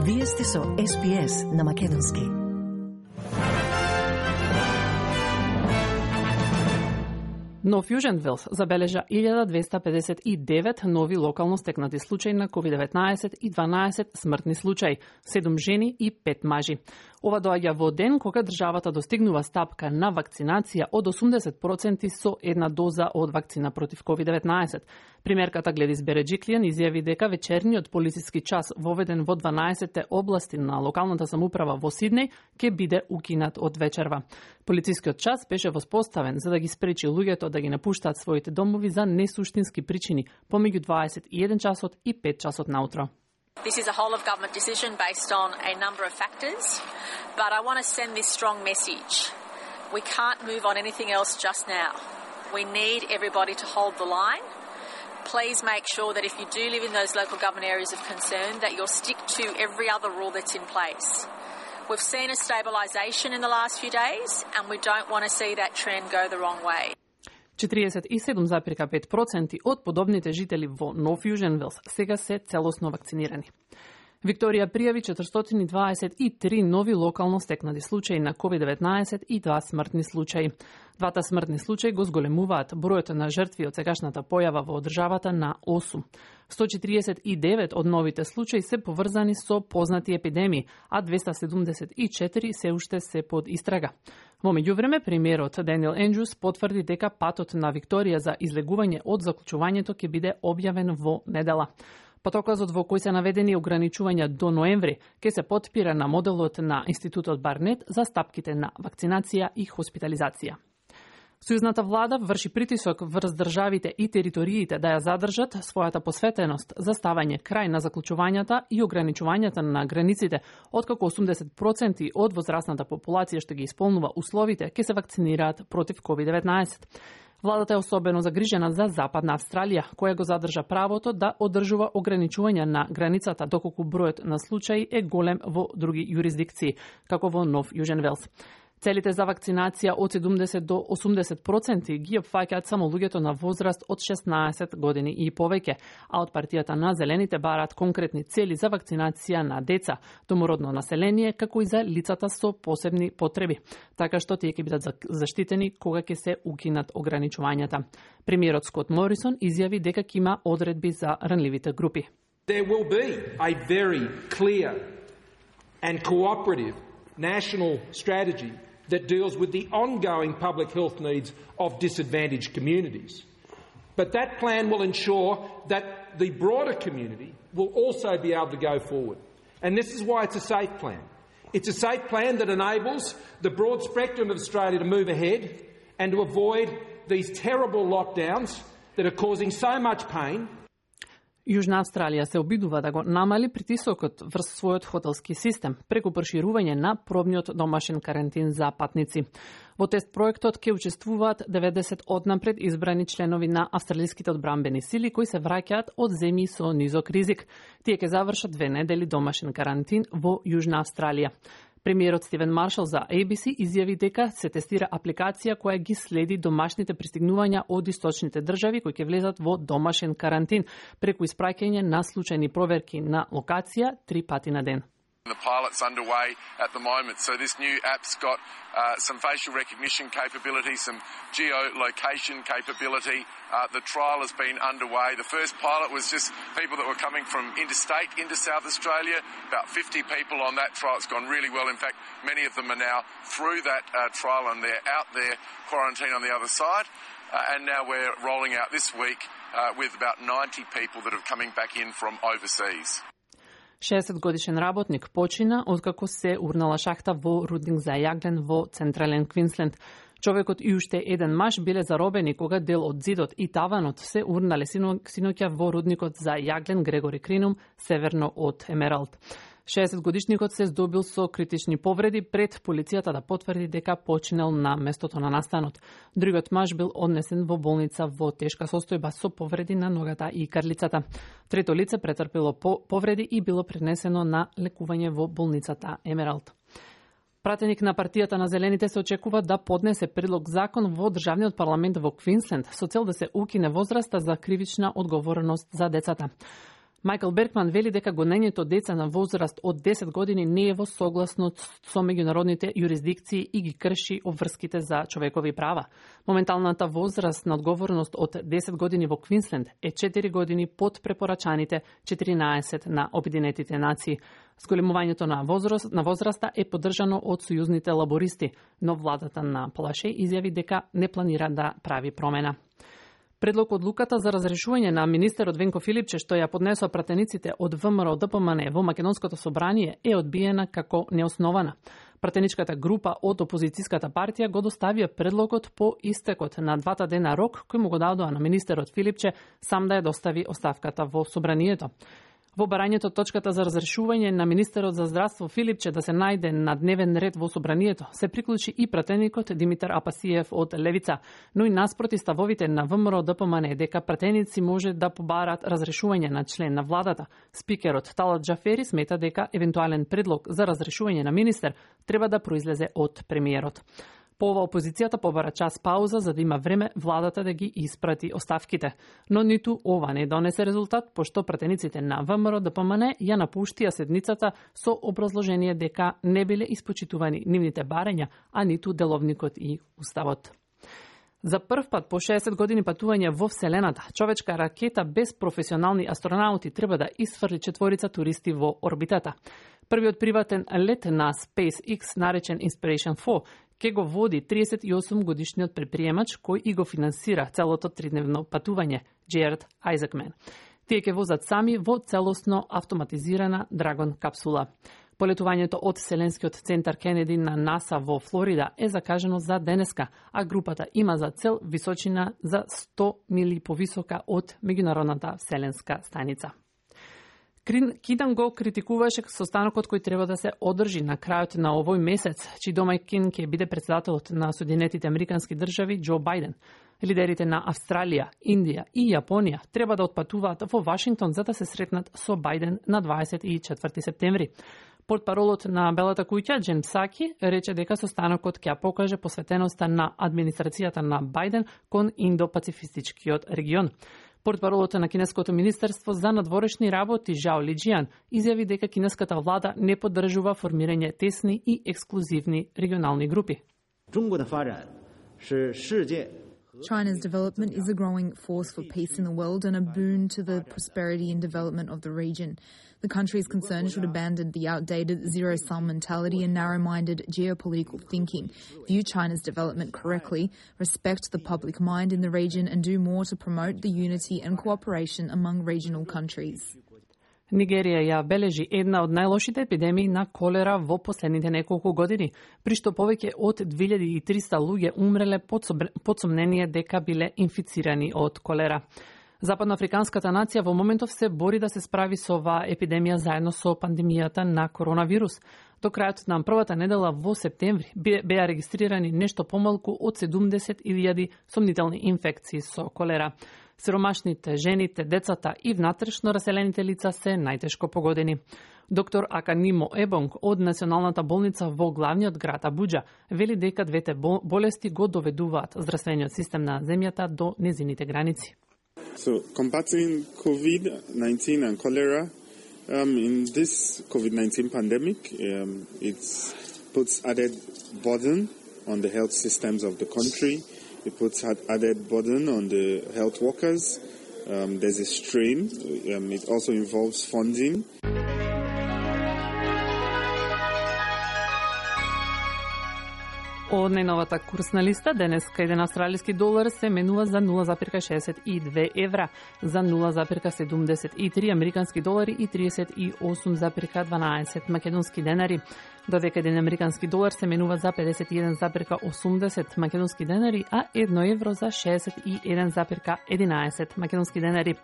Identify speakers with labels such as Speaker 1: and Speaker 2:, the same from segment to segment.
Speaker 1: Вие сте со SPS на Македонски.
Speaker 2: Нов Јужен Велс забележа 1259 нови локално стекнати случаи на COVID-19 и 12 смртни случаи, 7 жени и 5 мажи. Ова доаѓа во ден кога државата достигнува стапка на вакцинација од 80% со една доза од вакцина против COVID-19. Примерката Гледис Береджиклијан изјави дека вечерниот полициски час воведен во 12 области на локалната самоуправа во Сиднеј ќе биде укинат од вечерва. Полицискиот час беше воспоставен за да ги спречи луѓето да ги напуштаат своите домови за несуштински причини помеѓу 21 часот и 5 часот наутро.
Speaker 3: This is a whole-of-government decision based on a number of factors, but I want to send this strong message. We can't move on anything else just now. We need everybody to hold the line. Please make sure that if you do live in those local government areas of concern, that you'll stick to every other rule that's in place. We've seen a stabilisation in the last few days, and we don't want to see that trend go the wrong way. 47,5% од подобните жители во Нов Јужен Велс сега се целосно вакцинирани. Викторија пријави 423 нови локално стекнати случаи на COVID-19 и 2 смртни случаи. Двата смртни случаи го зголемуваат бројот на жртви од сегашната појава во државата на 8. 149 од новите случаи се поврзани со познати епидемии, а 274 се уште се под истрага. Во меѓувреме, премиерот Даниел Ендрюс потврди дека патот на Викторија за излегување од заклучувањето ќе биде објавен во недела. Патоказот во кој се наведени ограничувања до ноември ќе се потпира на моделот на Институтот Барнет за стапките на вакцинација и хоспитализација. Сојузната влада врши притисок врз државите и териториите да ја задржат својата посветеност за ставање крај на заклучувањата и ограничувањата на границите, откако 80% од возрастната популација што ги исполнува условите ќе се вакцинираат против COVID-19. Владата е особено загрижена за Западна Австралија, која го задржа правото да одржува ограничувања на границата доколку бројот на случаи е голем во други јурисдикции, како во Нов Јужен Велс. Целите за вакцинација од 70 до 80% ги опфаќаат само луѓето на возраст од 16 години и повеќе, а од партијата на Зелените бараат конкретни цели за вакцинација на деца, домородно население, како и за лицата со посебни потреби, така што тие ќе бидат заштитени кога ќе се укинат ограничувањата. Премиерот Скот Морисон изјави дека ќе има одредби за ранливите групи.
Speaker 4: There will be a very clear and cooperative national strategy that deals with the ongoing public health needs of disadvantaged communities. But that plan will ensure that the broader community will also be able to go forward. And this is why it's a safe plan. It's a safe plan that enables the broad spectrum of Australia to move ahead and to avoid these terrible lockdowns that are causing so much pain.
Speaker 2: Јужна Австралија се обидува да го намали притисокот врз својот хотелски систем преку проширување на пробниот домашен карантин за патници. Во тест проектот ќе учествуваат 90 однапред избрани членови на австралиските одбранбени сили кои се враќаат од земји со низок ризик. Тие ќе завршат 2 недели домашен карантин во Јужна Австралија. Премиерот Стивен Маршал за ABC изјави дека се тестира апликација која ги следи домашните пристигнувања од источните држави кои ќе влезат во домашен карантин преку испраќање на случајни проверки на локација 3 пати на ден.
Speaker 5: The pilot's underway at the moment, so this new app's got some facial recognition capability, some geolocation capability. The trial has been underway. The first pilot was just people that were coming from interstate into South Australia, about 50 people on that trial. It's gone really well. In fact, many of them are now through that trial and they're out there quarantine on the other side. And now we're rolling out this week with about 90 people that are coming back in from overseas.
Speaker 2: 60-годишен работник почина откако се урнала шахта во рудник за јаглен во Централен Квинсленд. Човекот и уште еден маж биле заробени кога дел од зидот и таванот се урнале синоќа во рудникот за јаглен Грегори Кринум, северно од Емералд. 60-годишникот се здобил со критични повреди пред полицијата да потврди дека починал на местото на настанот. Другиот маж бил однесен во болница во тешка состојба со повреди на ногата и карлицата. Трето лице претрпело повреди и било пренесено на лекување во болницата Емералд. Пратеник на партијата на Зелените се очекува да поднесе предлог закон во државниот парламент во Квинсленд со цел да се укине возраста за кривична одговорност за децата. Мајкл Беркман вели дека гонењето деца на возраст од 10 години не е во согласност со меѓународните јурисдикции и ги крши обврските за човекови права. Моменталната возраст на одговорност од 10 години во Квинсленд е 4 години под препорачаните 14 на Обединетите нации. Зголемувањето на возраста е поддржано од сојузните лабористи, но владата на Плаше изјави дека не планира да прави промена. Предлог одлуката за разрешување на министерот Венко Филипче, што ја поднесоа пратениците од ВМРО ДПМН во Македонското собрание, е одбиена како неоснована. Пратеничката група од опозицијската партија го доставија предлогот по истекот на 2 дена рок, кој му го дадоа на министерот Филипче сам да ја достави оставката во собранието. Во барањето точката за разрешување на министерот за здравство Филипче да се најде на дневен ред во собранието се приклучи и пратеникот Димитар Апасиев од Левица, но и наспроти ставовите на ВМРО ДПМН дека пратеници може да побарат разрешување на член на владата. Спикерот Талат Джафери смета дека евентуален предлог за разрешување на министер треба да произлезе од премиерот. По ова опозицијата побара час пауза за да има време владата да ги испрати оставките. Но ниту ова не донесе резултат, пошто пратениците на ВМРО ДПМН ја напуштија седницата со образложение дека не биле испочитувани нивните барања, а ниту деловникот и уставот. За прв пат по 60 години патување во Вселената, човечка ракета без професионални астронаути треба да исфрли 4 туристи во орбитата. Првиот приватен лет на SpaceX, наречен Inspiration 4, ке го води 38 годишниот предприемач кој и го финансира целото 3-дневно патување, Джеред Айзекмен. Тие ке возат сами во целосно автоматизирана Драгон капсула. Полетувањето од Вселенскиот центар Кенеди на НАСА во Флорида е закажано за денеска, а групата има за цел височина за 100 мили повисока од меѓународната вселенска станица. Кидан го критикуваше состанокот кој треба да се одржи на крајот на овој месец, чиј домаќин ќе биде председателот на Соединетите Американски држави Џо Бајден. Лидерите на Австралија, Индија и Јапонија треба да отпатуваат во Вашингтон за да се сретнат со Бајден на 24 септември. Портпаролот на Белата куќа, Джен Псаки, рече дека состанокот ќе покаже посветеноста на администрацијата на Бајден кон Индо-Пацифистичкиот регион. Портпаролот на Кинеското министерство за надворешни работи Жао Лиџијан изјави дека кинеската влада не поддржува формирање тесни и ексклузивни регионални групи.
Speaker 6: China's development is a growing force for peace in the world and a boon to the prosperity and development of the region. The country is concerned it should abandon the outdated zero-sum mentality and narrow-minded geopolitical thinking, view China's development correctly, respect the public mind in the region and do more to promote the unity and cooperation among regional countries.
Speaker 2: Нигерија ја бележи една од најлошите епидемии на колера во последните неколку години, при што повеќе од 2300 луѓе умреле под сомнение дека биле инфицирани од колера. Западноафриканската нација во моментов се бори да се справи со оваа епидемија заедно со пандемијата на коронавирус. До крајот на првата недела во септември беа регистрирани нешто помалку од 70.000 сомнителни инфекции со колера. Сиромашните, жените, децата и внатрешно раселените лица се најтешко погодени. Доктор Аканимо Ебонг од Националната болница во главниот град Абуџа вели дека двете болести го доведуваат здравствениот систем на земјата до незините граници.
Speaker 7: So, combating COVID-19 and cholera in this COVID-19 pandemic, it puts added burden on the health systems of the country. It puts added burden on the health workers. There's a strain. It also involves funding.
Speaker 2: Од најновата курсна листа, денеска еден австралиски долар се менува за 0,62 евра, за 0,73 американски долари и 38,12 македонски денари. Додека еден американски долар се менува за 51,80 македонски денари, а 1 евро за 61,11 македонски денари.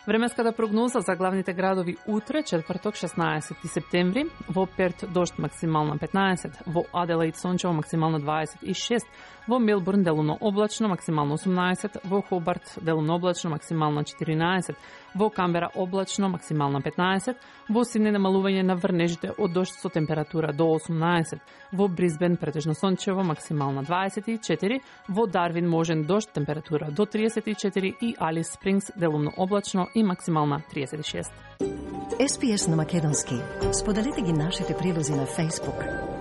Speaker 2: Временската прогноза за главните градови утре, четврток 16 септември, во Перт дожд максимална 15, во Аделаид сончево максимална 26, во Мелбурн делумно облачно максимално 18, во Хобарт делумно облачно максимална 14, Во Камбера облачно, максимална 15, во Сиднеј намалување на врнежите од дожд со температура до 18, во Брисбен претежно сончево, максимална 24, во Дарвин можен дожд, температура до 34 и Алис Спрингс делумно облачно и максимална 36.
Speaker 1: SPS на македонски. Споделете ги нашите прилози на Facebook.